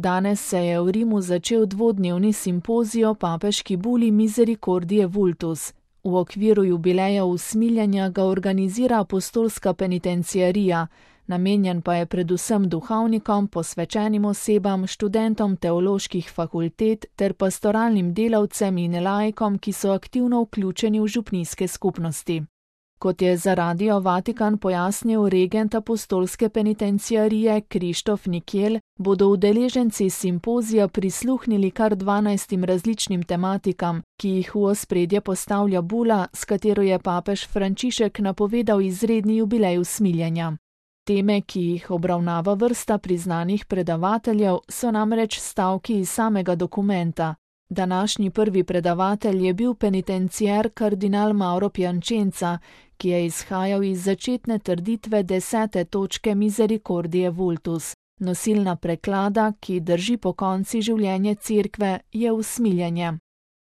Danes se je v Rimu začel dvodnevni simpozij o papeški buli Misericordiae Vultus. V okviru jubileja usmiljenja ga organizira apostolska penitenciarija, namenjen pa je predvsem duhovnikom, posvečenim osebam, študentom teoloških fakultet ter pastoralnim delavcem in laikom, ki so aktivno vključeni v župnijske skupnosti. Kot je za Radio Vatikan pojasnil regent apostolske penitenciarije Krištof Nikiel, bodo udeleženci simpozija prisluhnili kar 12 različnim tematikam, ki jih v ospredje postavlja bula, s katero je papež Frančišek napovedal izredni jubilej usmiljenja. Teme, ki jih obravnava vrsta priznanih predavateljev, so namreč stavki iz samega dokumenta. Današnji prvi predavatelj je bil penitenciar kardinal Mauro Piacenza, ki je izhajal iz začetne trditve 10. točke Misericordiae Vultus. Nosilna preklada, ki drži pokonci življenje cerkve, je usmiljenje.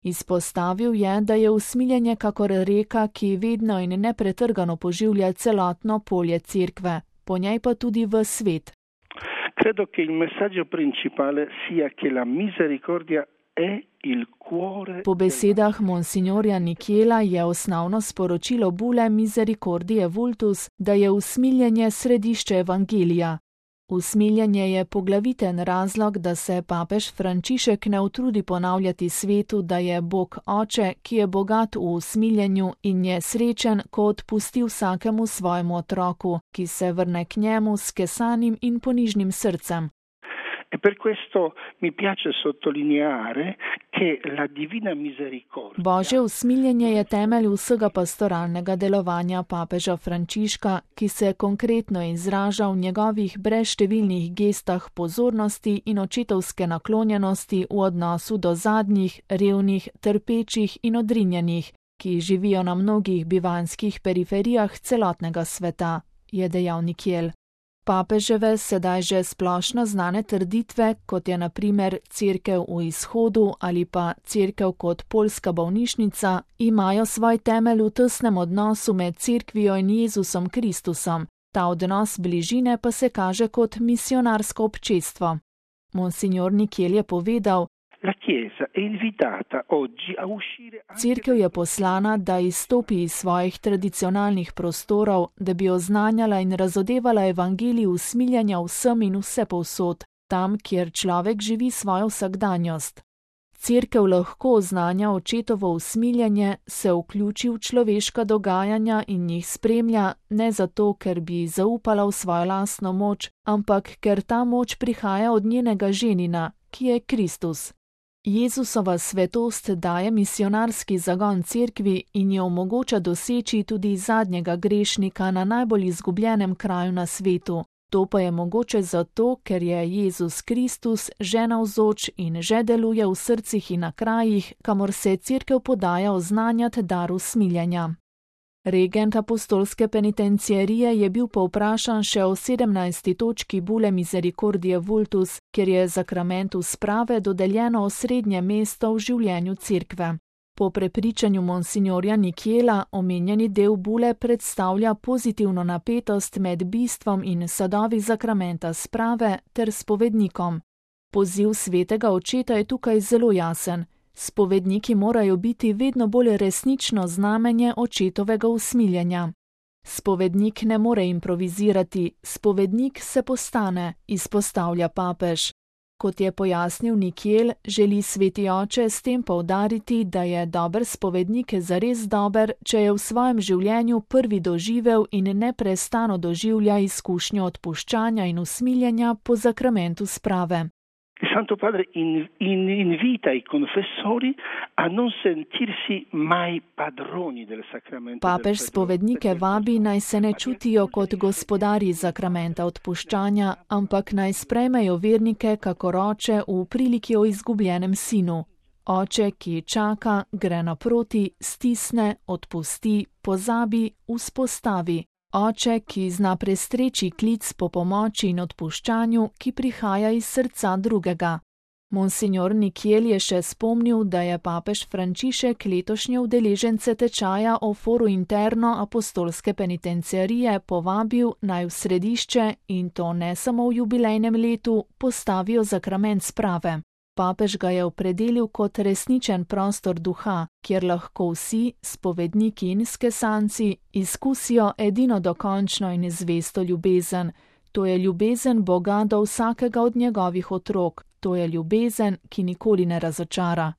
Izpostavil je, da je usmiljenje kakor reka, ki vedno in nepretrgano poživlja celotno polje cerkve, po njej pa tudi v svet. Credo che il messaggio principale sia che la misericordia è il cuore. Po besedah monsignorja Nikiela je osnovno sporočilo bule Misericordiae Vultus, da je usmiljenje središče evangelija. Usmiljenje je poglaviten razlog, da se papež Frančišek ne utrudi ponavljati svetu, da je Bog Oče, ki je bogat v usmiljenju in je srečen, ko odpusti vsakemu svojemu otroku, ki se vrne k njemu s kesanim in ponižnim srcem. E per questo mi piace sottolineare che la divina misericordia. Božje usmiljenje je temelj vsega pastoralnega delovanja papeža Frančiška, ki se konkretno izraža v njegovih brezštevilnih gestah pozornosti in očetovske naklonjenosti v odnosu do zadnjih, revnih, trpečih in odrinjenih, ki živijo na mnogih bivanjskih periferijah celotnega sveta, je dejal Nikiel. Papeževe sedaj že splošno znane trditve, kot je na primer cerkev v izhodu ali pa cerkev kot poljska bolnišnica, imajo svoj temelj v tesnem odnosu med cerkvijo in Jezusom Kristusom. Ta odnos bližine pa se kaže kot misionarsko občestvo. Monsignor Nikiel je povedal: Cerkev je poslana, da izstopi iz svojih tradicionalnih prostorov, da bi oznanjala in razodevala evangelij usmiljenja vsem in vsepovsod, tam, kjer človek živi svojo vsakdanjost. Cerkev lahko oznanja očetovo usmiljenje, se vključi v človeška dogajanja in jih spremlja, ne zato, ker bi zaupala v svojo lastno moč, ampak ker ta moč prihaja od njenega ženina, ki je Kristus. Jezusova svetost daje misionarski zagon cerkvi in jo omogoča doseči tudi zadnjega grešnika na najbolj izgubljenem kraju na svetu. To pa je mogoče zato, ker je Jezus Kristus že navzoč in že deluje v srcih in na krajih, kamor se cerkev podaja oznanjati dar usmiljenja. Regent apostolske penitenciarije je bil povprašan še o 17. točki bule Misericordiae Vultus, kjer je zakramentu sprave dodeljeno osrednje mesto v življenju cerkve. Po prepričanju monsignorja Nikiela omenjeni del bule predstavlja pozitivno napetost med bistvom in sadovi zakramenta sprave ter spovednikom. Poziv svetega očeta je tukaj zelo jasen. Spovedniki morajo biti vedno bolj resnično znamenje očetovega usmiljenja. Spovednik ne more improvizirati, spovednik se postane, izpostavlja papež. Kot je pojasnil Nikiel, želi sveti oče s tem poudariti, da je dober spovednik zares dober, če je v svojem življenju prvi doživel in neprestano doživlja izkušnjo odpuščanja in usmiljenja po zakramentu sprave. Il Santo Padre invita i confessori a non sentirsi mai padroni del sacramento. Papež spovednike vabi, naj se ne čutijo kot gospodarji zakramenta odpuščanja, ampak naj sprejmejo vernike kakor oče v priliki o izgubljenem sinu. Oče, ki čaka, gre naproti, stisne, odpusti, pozabi, vzpostavi. Oče, ki zna prestreči klic po pomoči in odpuščanju, ki prihaja iz srca drugega. Monsignor Nikiel je še spomnil, da je papež Frančišek letošnje udeležence tečaja o Foru Interno apostolske penitenciarije povabil naj v središče, in to ne samo v jubilejnem letu, postavijo zakrament sprave. Papež ga je opredelil kot resničen prostor duha, kjer lahko vsi, spovedniki in skesanci, izkusijo edino dokončno in zvesto ljubezen. To je ljubezen Boga do vsakega od njegovih otrok. To je ljubezen, ki nikoli ne razočara.